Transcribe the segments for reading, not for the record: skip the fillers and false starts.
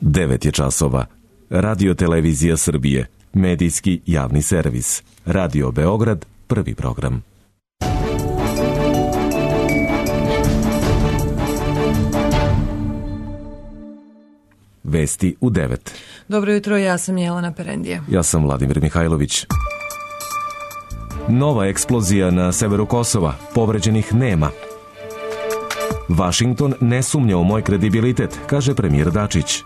9 je časova. Radio Televizija Srbije, medijski javni servis. Radio Beograd, prvi program. Vesti u 9. Dobro jutro, ja sam Jelena Perendija. Ja sam Vladimir Mihajlović. Nova eksplozija na severu Kosova, povređenih nema. Vašington ne sumnja u moj kredibilitet, kaže premijer Dačić.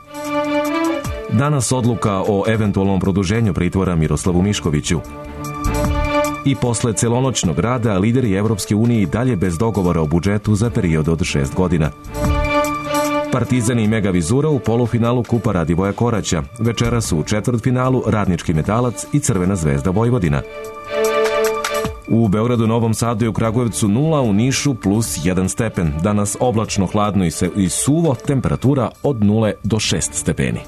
Danas odluka o eventualnom produženju pritvora Miroslavu Miškoviću. I posle celonoćnog rada lideri Evropske unije dalje bez dogovora o budžetu za period od 6 godina. Partizan i Mega Vizura u polufinalu Kupa Radivoja Koraća. Večera su u četvrtfinalu Radnički Metalac i Crvena zvezda Vojvodina. U Beogradu, Novom Sadu i u Kragujevcu 0, u Nišu plus 1 stepen. Danas oblačno, hladno i suvo, temperatura od 0 do 6 stepeni.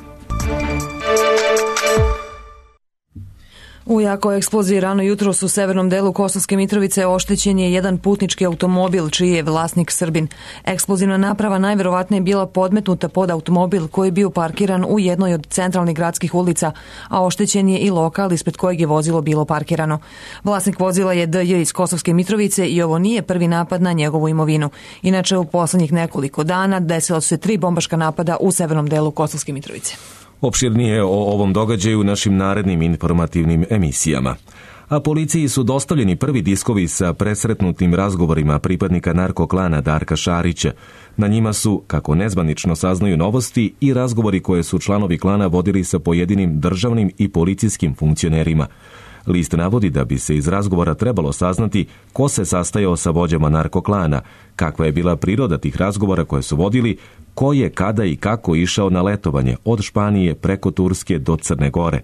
U jakoj eksploziji rano jutros u severnom delu Kosovske Mitrovice oštećen je jedan putnički automobil čiji je vlasnik Srbin. Eksplozivna naprava najverovatnije bila podmetnuta pod automobil koji je bio parkiran u jednoj od centralnih gradskih ulica, a oštećen je i lokal ispred kojeg je vozilo bilo parkirano. Vlasnik vozila je DJ iz Kosovske Mitrovice i ovo nije prvi napad na njegovu imovinu. Inače, u poslednjih nekoliko dana desila su se 3 bombaška napada u severnom delu Kosovske Mitrovice. Opširnije o ovom događaju u našim narednim informativnim emisijama. A policiji su dostavljeni prvi diskovi sa presretnutim razgovorima pripadnika narkoklana Darka Šarića. Na njima su, kako nezvanično saznaju novosti, i razgovori koje su članovi klana vodili sa pojedinim državnim i policijskim funkcionerima. List navodi da bi se iz razgovora trebalo saznati ko se sastajao sa vođama narkoklana, kakva je bila priroda tih razgovora koje su vodili, ko je kada i kako išao na letovanje od Španije preko Turske do Crne Gore.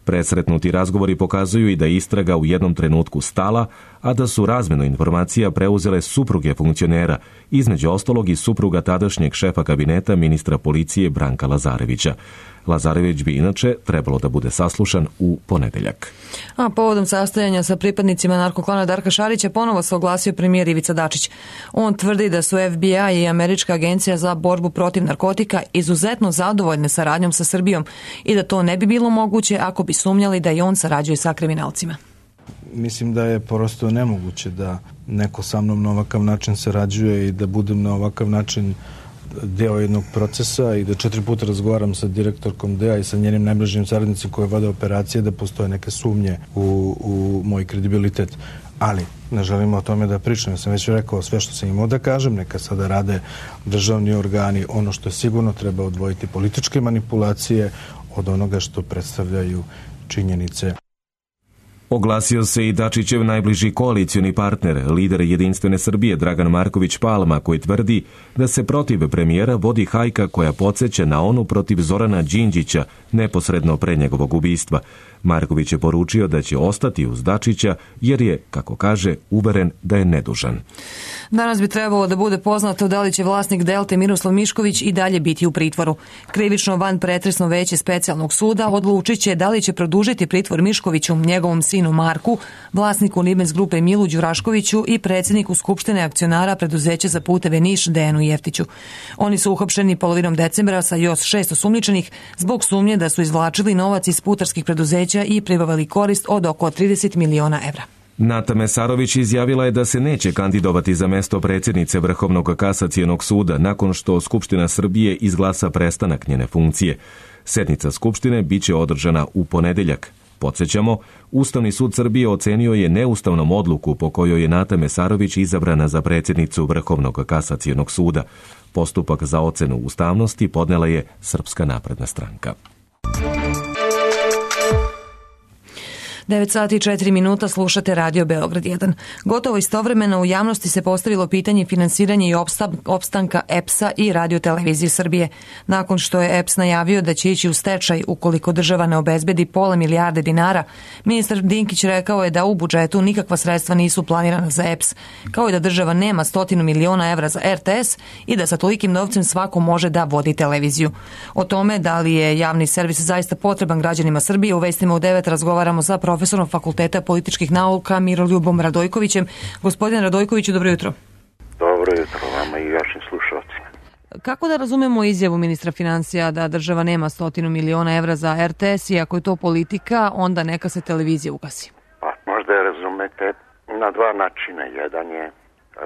Presretnuti razgovori pokazuju i da je istraga u jednom trenutku stala, a da su razmenu informacija preuzele supruge funkcionera, između ostalog i supruga tadašnjeg šefa kabineta ministra policije Branka Lazarevića. Lazarević bi inače trebalo da bude saslušan u ponedeljak. A povodom sastajanja sa pripadnicima narkoklana Darka Šarića ponovo se oglasio premijer Ivica Dačić. On tvrdi da su FBI i Američka agencija za borbu protiv narkotika izuzetno zadovoljne saradnjom sa Srbijom i da to ne bi bilo moguće ako bi sumnjali da i on sarađuje sa kriminalcima. Mislim da je prosto nemoguće da neko sa mnom na ovakav način sarađuje i da budem na ovakav način deo jednog procesa i da 4 puta razgovaram sa direktorkom DEA i sa njenim najbližim saradnicima koje vode operacije, da postoje neke sumnje u moj kredibilitet. Ali ne želimo o tome da pričam. Ja sam već rekao sve što sam imao da kažem, neka sada rade državni organi. Ono što je sigurno treba odvojiti političke manipulacije od onoga što predstavljaju činjenice. Oglasio se i Dačićev najbliži koalicioni partner, lider Jedinstvene Srbije Dragan Marković Palma, koji tvrdi da se protiv premijera vodi hajka koja podsjeća na onu protiv Zorana Đinđića neposredno pre njegovog ubistva. Marković je poručio da će ostati uz Dačića jer je, kako kaže, uveren da je nedužan. Danas bi trebalo da bude poznato da li će vlasnik Delte Miroslav Mišković i dalje biti u pritvoru. Krivično vanpretresno veće specijalnog suda odlučit će da li će produžiti pritvor Miškoviću, njegovom sinu Marku, vlasniku Nibens grupe Milu Đuraškoviću i predsjedniku Skupštine akcionara preduzeća za puteve Niš Dejanu Jeftiću. Oni su uhapšeni polovinom decembra sa još 6 osumnjičenih zbog sumnje da su izvlačili novac iz putarskih preduzeća i pribavili korist od oko 30 miliona evra. Nata Mesarović izjavila je da se neće kandidovati za mesto predsjednice Vrhovnog kasacionog suda nakon što Skupština Srbije izglasa prestanak njene funkcije. Sednica Skupštine biće održana u ponedeljak. Podsjećamo, Ustavni sud Srbije ocenio je neustavnom odluku po kojoj je Nata Mesarović izabrana za predsjednicu Vrhovnog kasacionog suda. Postupak za ocenu ustavnosti podnela je Srpska napredna stranka. 9 sati i 4 minuta slušate Radio Beograd 1. Gotovo istovremeno u javnosti se postavilo pitanje finansiranja i opstanka EPS-a i Radio Televizije Srbije. Nakon što je EPS najavio da će ići u stečaj ukoliko država ne obezbedi pola milijarde dinara, ministar Dinkić rekao je da u budžetu nikakva sredstva nisu planirana za EPS, kao i da država nema 100 miliona evra za RTS i da sa tolikim novcem svako može da vodi televiziju. O tome da li je javni servis zaista potreban građanima Srbije u vestima u 9 razgovaramo sa profesorom Fakulteta političkih nauka Miroljubom Radojkovićem. Gospodine Radojkoviću, dobro jutro. Dobro jutro vama i vašim slušalcima. Kako da razumemo izjavu ministra financija da država nema 100 miliona evra za RTS i ako je to politika, onda neka se televizija ugasi? Pa, možda je razumete na dva načina. Jedan je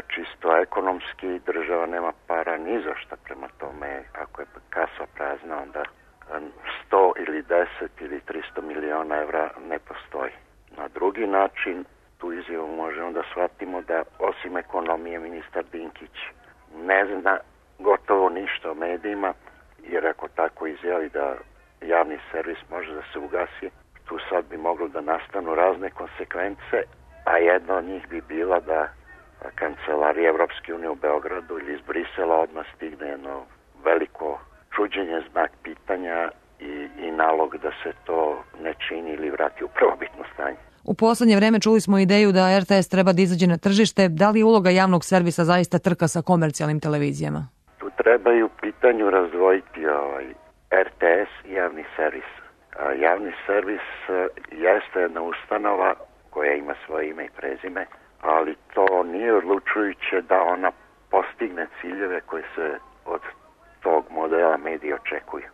čisto ekonomski, država nema para ni za šta, prema tome ako je kasa prazna, onda 100 ili 10 ili 300 miliona evra ne postoji. Na drugi način, tu izjavu možemo da shvatimo da osim ekonomije ministar Dinkić ne zna gotovo ništa o medijima, jer ako tako izjavi da javni servis može da se ugasi, tu sad bi moglo da nastanu razne konsekvence, a jedna od njih bi bila da kancelarija Evropske unije u Beogradu ili iz Brisela odmah stigne jedno veliko čuđenje, znak pitanja i nalog da se to ne čini ili vrati u prvobitno stanje. U poslednje vreme čuli smo ideju da RTS treba da izađe na tržište. Da li je uloga javnog servisa zaista trka sa komercijalnim televizijama? Tu treba i u pitanju razdvojiti RTS i javni servis. Javni servis jeste jedna ustanova koja ima svoje ime i prezime, ali to nije odlučujuće da ona postigne ciljeve koje se od tog modela medija očekuju.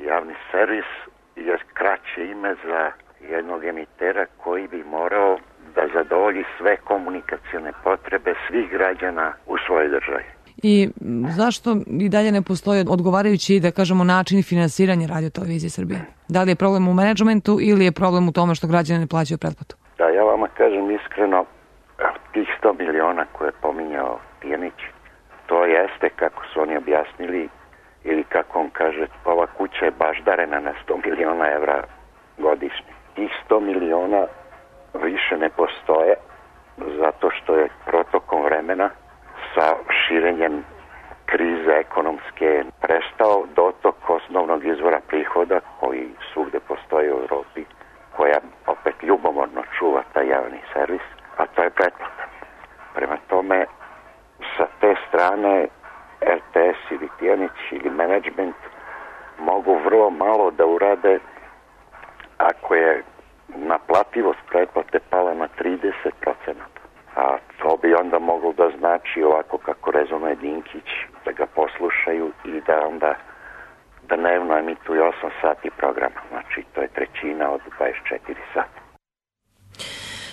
Javni servis je kraće ime za jednog emitera koji bi morao da zadovolji sve komunikacione potrebe svih građana u svojoj državi. I zašto i dalje ne postoji odgovarajući, da kažemo, način finansiranja Radio-televizije Srbije? Da li je problem u menadžmentu ili je problem u tome što građani ne plaćaju pretplatu? Da, ja vama kažem iskreno, tih 100 miliona koje je pominjao Tijanić, to jeste, kako su oni objasnili, ili kako on kaže, ova kuća je baždarena na 100 miliona evra godišnje. Tih 100 miliona više ne postoje zato što je protokom vremena sa širenjem krize ekonomske prestao dotok osnovnog izvora prihoda koji svugde postoji u Evropi, koja opet ljubomorno čuva taj javni servis, a to je pretplata. Prema tome, sa te strane RTS ili Tijanić ili menadžment mogu vrlo malo da urade ako je naplativost pretplate pala na 30%. A to bi onda moglo da znači ovako kako rezonuje Dinkić, da ga poslušaju i da onda dnevno emituju 8 sati programa. Znači to je trećina od 24 sata.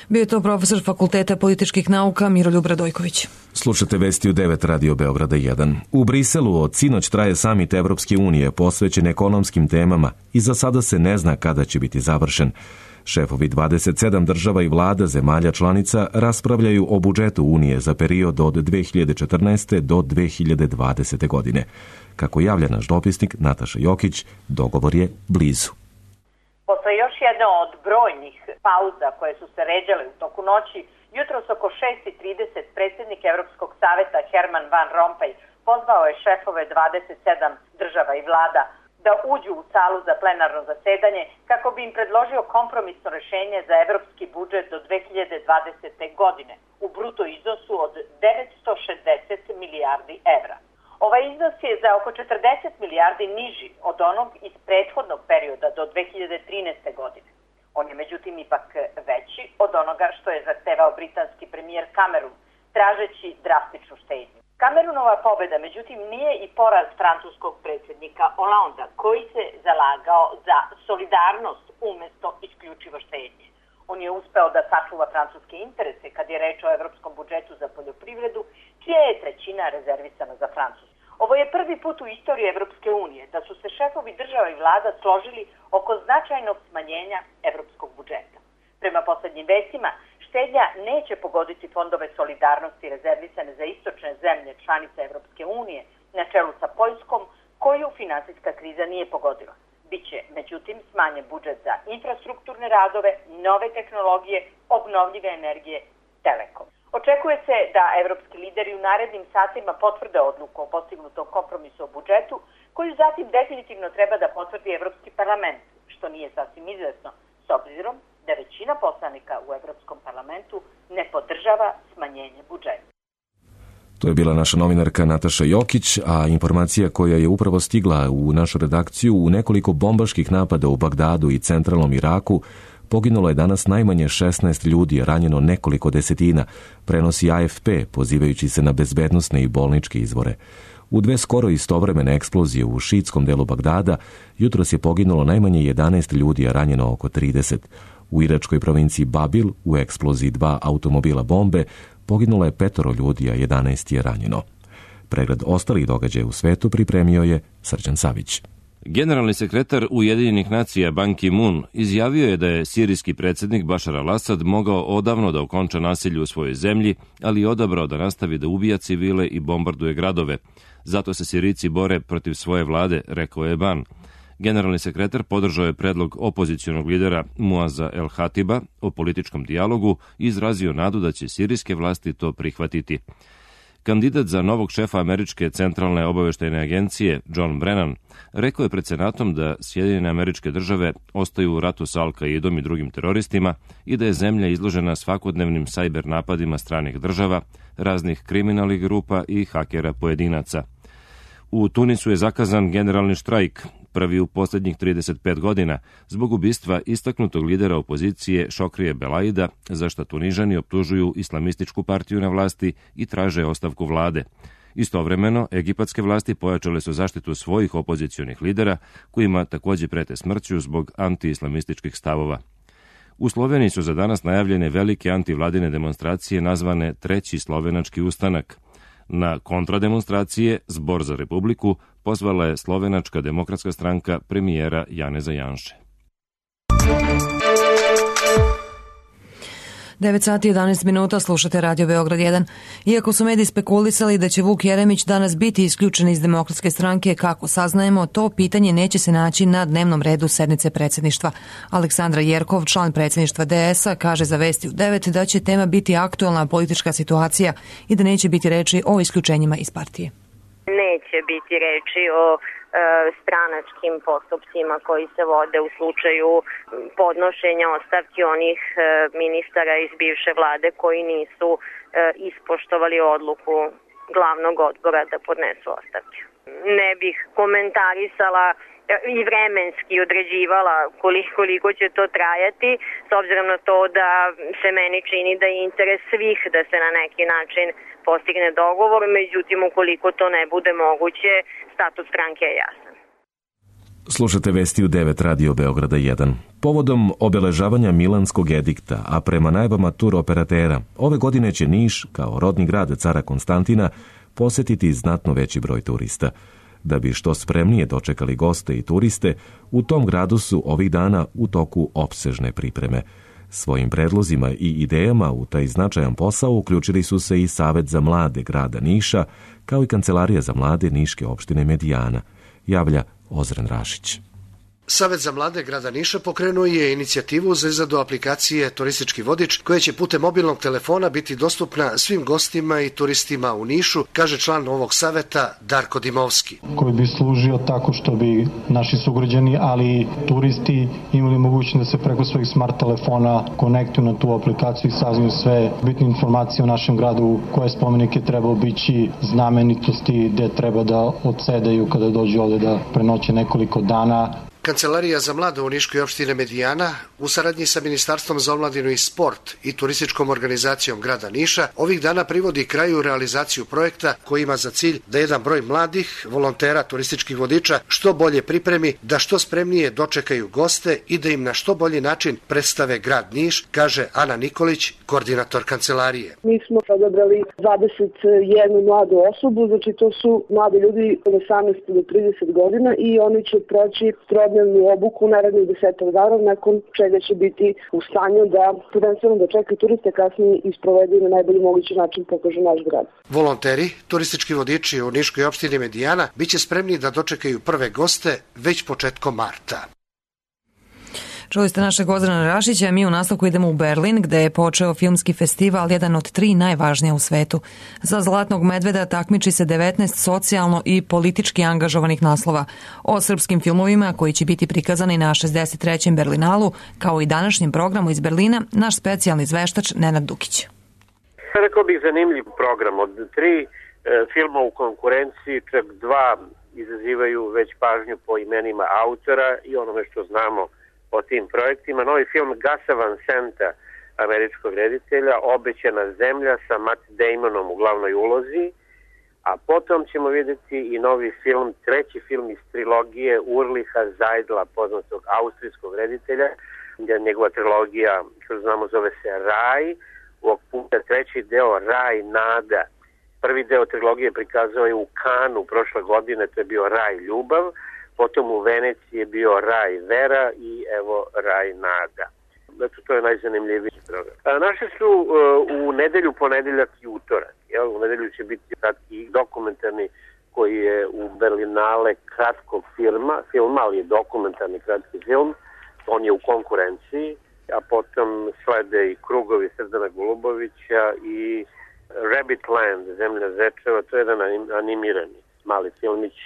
Bio je to profesor Fakulteta političkih nauka Miroljub Radojković. Slušate vesti u 9 Radio Beograda 1. U Briselu od sinoć traje samit Evropske unije posvećen ekonomskim temama i za sada se ne zna kada će biti završen. Šefovi 27 država i vlada zemalja članica raspravljaju o budžetu Unije za period od 2014. do 2020. godine. Kako javlja naš dopisnik Nataša Jokić, dogovor je blizu. Posle još jedna od brojnih pauza koje su se ređale u toku noći, jutros oko 6:30 predsjednik Evropskog saveta Herman Van Rompuy pozvao je šefove 27 država i vlada da uđu u salu za plenarno zasedanje kako bi im predložio kompromisno rešenje za evropski budžet do 2020. godine u bruto iznosu od 960 milijardi evra. Ovaj iznos je za oko 40 milijardi niži od onog iz prethodnog perioda do 2013. godine. On je međutim ipak veći od onoga što je zahtevao britanski premijer Cameron, tražeći drastičnu štednju. Cameronova pobeda međutim nije i poraz francuskog predsjednika Hollanda, koji se zalagao za solidarnost umjesto isključivo štednje. On je uspeo da sačuva francuske interese kad je reč o evropskom budžetu za poljoprivredu, čija je trećina rezervisana za Francusku. Ovo je prvi put u istoriji Evropske unije da su se šefovi država i vlada složili oko značajnog smanjenja evropskog budžeta. Prema poslednjim vestima, štednja neće pogoditi fondove solidarnosti rezervisane za istočne zemlje članice Evropske unije na čelu sa Poljskom, koju finansijska kriza nije pogodila. Biće, međutim, smanjen budžet za infrastrukturne radove, nove tehnologije, obnovljive energije, telekom. Očekuje se da evropski lideri u narednim satima potvrde odluku o postignutom kompromisu o budžetu, koju zatim definitivno treba da potvrdi Evropski parlament, što nije sasvim izvesno, s obzirom da većina poslanika u Evropskom parlamentu ne podržava smanjenje budžeta. To je bila naša novinarka Nataša Jokić, a informacija koja je upravo stigla u našu redakciju: u nekoliko bombaških napada u Bagdadu i centralnom Iraku poginulo je danas najmanje 16 ljudi, ranjeno nekoliko desetina, prenosi AFP, pozivajući se na bezbednosne i bolničke izvore. U 2 skoro istovremene eksplozije u šiitskom delu Bagdada jutros je poginulo najmanje 11 ljudi, a ranjeno oko 30. U iračkoj provinciji Babil u eksploziji 2 automobila bombe poginulo je 5 ljudi, a 11 je ranjeno. Pregled ostalih događaja u svetu pripremio je Srđan Savić. Generalni sekretar Ujedinjenih nacija Ban Ki-moon izjavio je da je sirijski predsjednik Bašar al-Asad mogao odavno da okonča nasilje u svojoj zemlji, ali je odabrao da nastavi da ubija civile i bombarduje gradove. Zato se Sirijci bore protiv svoje vlade, rekao je Ban. Generalni sekretar podržao je predlog opozicionog lidera Muaza el-Hatiba o političkom dijalogu i izrazio nadu da će sirijske vlasti to prihvatiti. Kandidat za novog šefa Američke centralne obaveštajne agencije, John Brennan, rekao je pred Senatom da Sjedinjene Američke Države ostaju u ratu sa Al-Kaidom i drugim teroristima i da je zemlja izložena svakodnevnim sajber napadima stranih država, raznih kriminalnih grupa i hakera pojedinaca. U Tunisu je zakazan generalni štrajk, prvi u posljednjih 35 godina, zbog ubistva istaknutog lidera opozicije Šokrije Belaida, za što Tunižani optužuju islamističku partiju na vlasti i traže ostavku vlade. Istovremeno, egipatske vlasti pojačale su zaštitu svojih opozicionih lidera, kojima također prete smrću zbog anti-islamističkih stavova. U Sloveniji su za danas najavljene velike antivladine demonstracije nazvane Treći slovenački ustanak. Na kontrademonstracije Zbor za Republiku pozvala je Slovenačka demokratska stranka premijera Janeza Janše. 9 sati 11 minuta, slušate Radio Beograd 1. Iako su mediji spekulisali da će Vuk Jeremić danas biti isključen iz Demokratske stranke, kako saznajemo, to pitanje neće se naći na dnevnom redu sednice predsjedništva. Aleksandra Jerkov, član predsjedništva DS-a, kaže za Vesti u 9 da će tema biti aktualna politička situacija i da neće biti reči o isključenjima iz partije. Neće biti reči o stranačkim postupcima koji se vode u slučaju podnošenja ostavki onih ministara iz bivše vlade koji nisu ispoštovali odluku glavnog odbora da podnesu ostavke. Ne bih komentarisala i vremenski određivala koliko će to trajati, s obzirom na to da se meni čini da je interes svih da se na neki način postigne dogovor, međutim ukoliko to ne bude moguće, status stranke je jasan. Slušate Vesti u 9 Radio Beograda 1. Povodom obeležavanja Milanskog edikta, a prema najavama tur operatera, ove godine će Niš, kao rodni grad cara Konstantina, posetiti znatno veći broj turista. Da bi što spremnije dočekali goste i turiste, u tom gradu su ovih dana u toku opsežne pripreme. Svojim predlozima i idejama u taj značajan posao uključili su se i Savet za mlade grada Niša, kao i Kancelarija za mlade Niške opštine Medijana, javlja Ozren Rašić. Savet za mlade grada Niša pokrenuo je inicijativu za izradu aplikacije Turistički vodič, koja će putem mobilnog telefona biti dostupna svim gostima i turistima u Nišu, kaže član ovog saveta Darko Dimovski. Koji bi služio tako što bi naši sugrađani, ali i turisti imali mogućnost da se preko svojih smart telefona konektuju na tu aplikaciju i saznaju sve bitne informacije o našem gradu, koje spomenike treba obići, znamenitosti gde treba da odsedaju kada dođu ovde da prenoće nekoliko dana. Kancelarija za mlade u Niškoj opštine Medijana u saradnji sa Ministarstvom za omladinu i sport i turističkom organizacijom grada Niša ovih dana privodi kraju realizaciju projekta koji ima za cilj da jedan broj mladih volontera turističkih vodiča što bolje pripremi, da što spremnije dočekaju goste i da im na što bolji način predstave grad Niš, kaže Ana Nikolić, koordinator kancelarije. Mi smo odabrali 21 mladu osobu, znači to su mladi ljudi od 18 do 30 godina i oni će proći trodnevnu obuku narednih 10 dana, nakon čega će biti u stanju da prvenstveno dočekaju turiste, kasnije isprovedu na najbolji mogući način pokažu naš grad. Volonteri, turistički vodiči u Niškoj opštini Medijana biće spremni da dočekaju prve goste već početkom marta. Čuli ste našeg Ozrena Rašića, mi u nastavku idemo u Berlin, gde je počeo filmski festival, jedan od 3 najvažnije u svetu. Za Zlatnog medveda takmiči se 19 socijalno i politički angažovanih naslova. O srpskim filmovima koji će biti prikazani na 63. Berlinalu, kao i današnjem programu iz Berlina, naš specijalni izveštač Nenad Dukić. Rekao bih zanimljiv program. Od 3 filma u konkurenciji, čak 2 izazivaju već pažnju po imenima autora i onome što znamo o tim projektima. Novi film Gasa Van Senta, američkog reditelja, Obećana zemlja sa Matt Damonom u glavnoj ulozi. a potom ćemo vidjeti i novi film, treći film iz trilogije Urliha Zajdla, poznatog austrijskog reditelja. Njegova trilogija, što znamo, zove se Raj, ovog puta treći deo Raj Nada. Prvi deo trilogije prikazao je u Kanu prošle godine, to je bio Raj Ljubav, potom u Veneciji je bio Raj Vera i evo Raj Nada. Znači, to je najzanimljiviji program. Naše su u nedelju, ponedeljak i utorak. U nedelju će biti kratki dokumentarni koji je u Berlinale kratkog filma, ali je dokumentarni kratki film. On je u konkurenciji, a potom slede i Krugovi Srdana Golubovića i Rabbit Land, Zemlja zečeva, to je jedan animirani mali filmić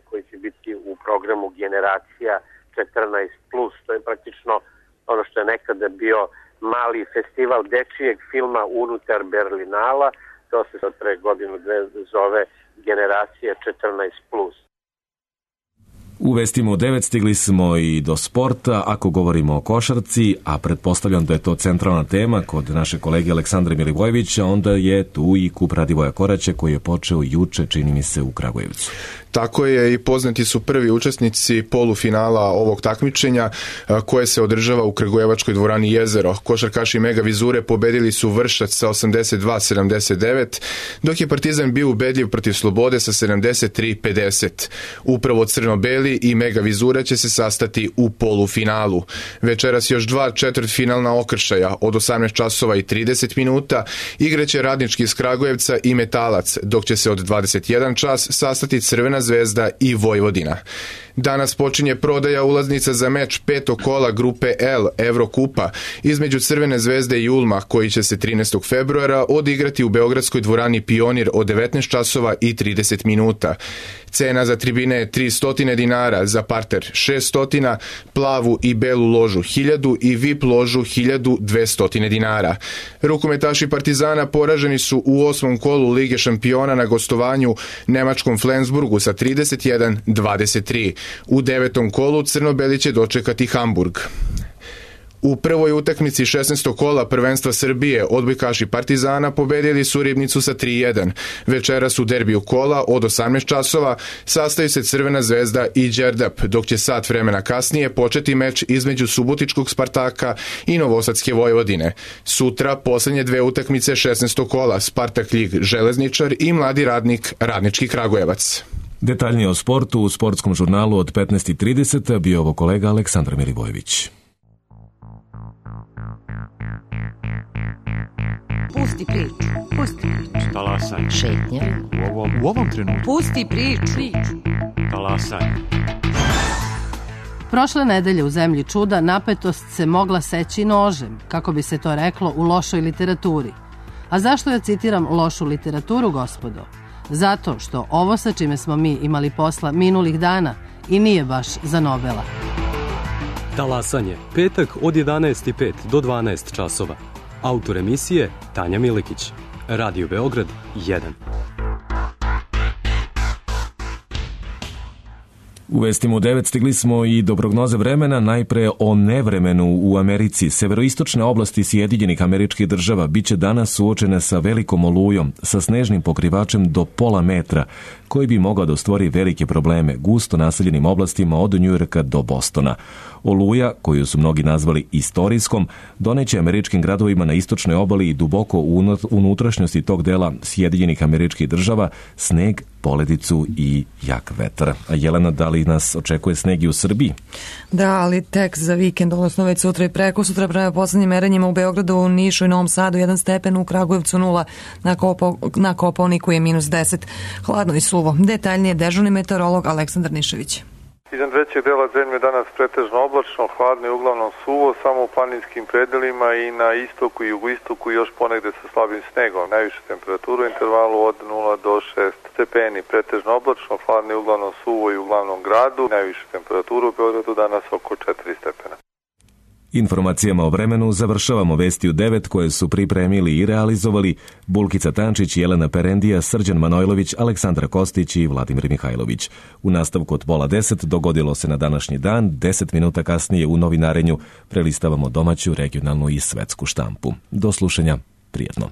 koji će biti u programu Generacija 14+. To je praktično ono što je nekada bio mali festival dečijeg filma unutar Berlinala, to se od pre godinu dve zove Generacija 14+. U vestima u 9 stigli smo i do sporta, ako govorimo o košarci, a pretpostavljam da je to centralna tema kod naše kolege Aleksandra Milivojevića, onda je tu i kup Radivoja Koraća koji je počeo juče, čini mi se, u Kragujevcu. Tako je, i poznati su prvi učesnici polufinala ovog takmičenja koje se održava u Kragujevačkoj dvorani Jezero. Košarkaši Mega Vizure pobedili su Vršac sa 82-79, dok je Partizan bio ubedljiv protiv Slobode sa 73-50. Upravo crno-beli i Mega Vizura će se sastati u polufinalu. Večeras još dva četvrtfinalna okršaja od 18 časova i 30 minuta igraće Radnički iz Kragujevca i Metalac, dok će se od 21 čas sastati Crvena Zvezda i Vojvodina. Danas počinje prodaja ulaznica za meč petog kola grupe L Evrokupa između Crvene Zvezde i Ulma, koji će se 13. februara odigrati u beogradskoj dvorani Pionir od 19 časova i 30 minuta. Cena za tribine je 300 dinara, za parter 600, plavu i belu ložu 1000 i VIP ložu 1200 dinara. Rukometaši Partizana poraženi su u 8. kolu Lige šampiona na gostovanju nemačkom Flensburgu sa 31-23. U 9. kolu crno-beli će dočekati Hamburg. U prvoj utakmici 16. kola prvenstva Srbije odbojkaši Partizana pobedili su Ribnicu sa 3-1. Večeras u derbiju kola od 18 časova sastaju se Crvena Zvezda i Đerdap, dok će sat vremena kasnije početi meč između Subotičkog Spartaka i Novosadske Vojvodine. Sutra poslednje dve utakmice 16. kola Spartak Ljig Železničar i Mladi Radnik Radnički Kragujevac. Detaljnije o sportu u sportskom žurnalu od 15:30 bio ovo kolega Aleksandar Milivojević. Pusti priču. Pusti priču. Talasaj. Šetnja. U ovom trenutku. Pusti priču. Talasaj. Prošle nedelje u Zemlji čuda napetost se mogla seći nožem, kako bi se to reklo u lošoj literaturi. A zašto ja citiram lošu literaturu, gospodo? Zato što ovo sa čime smo mi imali posla minulih dana i nije baš za Nobela. Talasanje, petak od 11:05 do 12 časova. Autor emisije Tanja Milikić. Radio Beograd 1. U vestima u 9 stigli smo i do prognoze vremena, najpre o nevremenu u Americi. Severoistočne oblasti Sjedinjenih Američkih Država biće danas suočene sa velikom olujom, sa snežnim pokrivačem do pola metra, koji bi mogao da stvori velike probleme gusto naseljenim oblastima od Njujorka do Bostona. Oluja, koju su mnogi nazvali istorijskom, doneće američkim gradovima na istočnoj obali i duboko u unutrašnjosti tog dela Sjedinjenih Američkih Država sneg, poledicu i jak vetar. A Jelena, da li nas očekuje sneg i u Srbiji? Da, ali tek za vikend, odnosno već sutra i preko sutra, prema poslednjim merenjima u Beogradu, u Nišu i Novom Sadu 1 stepen, u Kragujevcu 0, na Kopaoniku je -10. Hladno i suvo. Detaljnije dežurni meteorolog Aleksandar Nišević. Iznad većeg dela zemlje danas pretežno oblačno, hladno i uglavnom suvo, samo u planinskim predelima i na istoku i jugoistoku još ponegde sa slabim snegom. Najviše temperaturu u intervalu od 0 do 6 stepeni, pretežno oblačno, hladno i uglavnom suvo i u glavnom gradu. Najviše temperaturu u Beogradu danas oko 4 stepena. Informacijama o vremenu završavamo vesti u 9 koje su pripremili i realizovali Bulkica Tančić, Jelena Perendija, Srđan Manojlović, Aleksandra Kostić i Vladimir Mihajlović. U nastavku od 9:30 dogodilo se na današnji dan, 10 minuta kasnije u novinarenju prelistavamo domaću, regionalnu i svetsku štampu. Do slušanja, prijetno.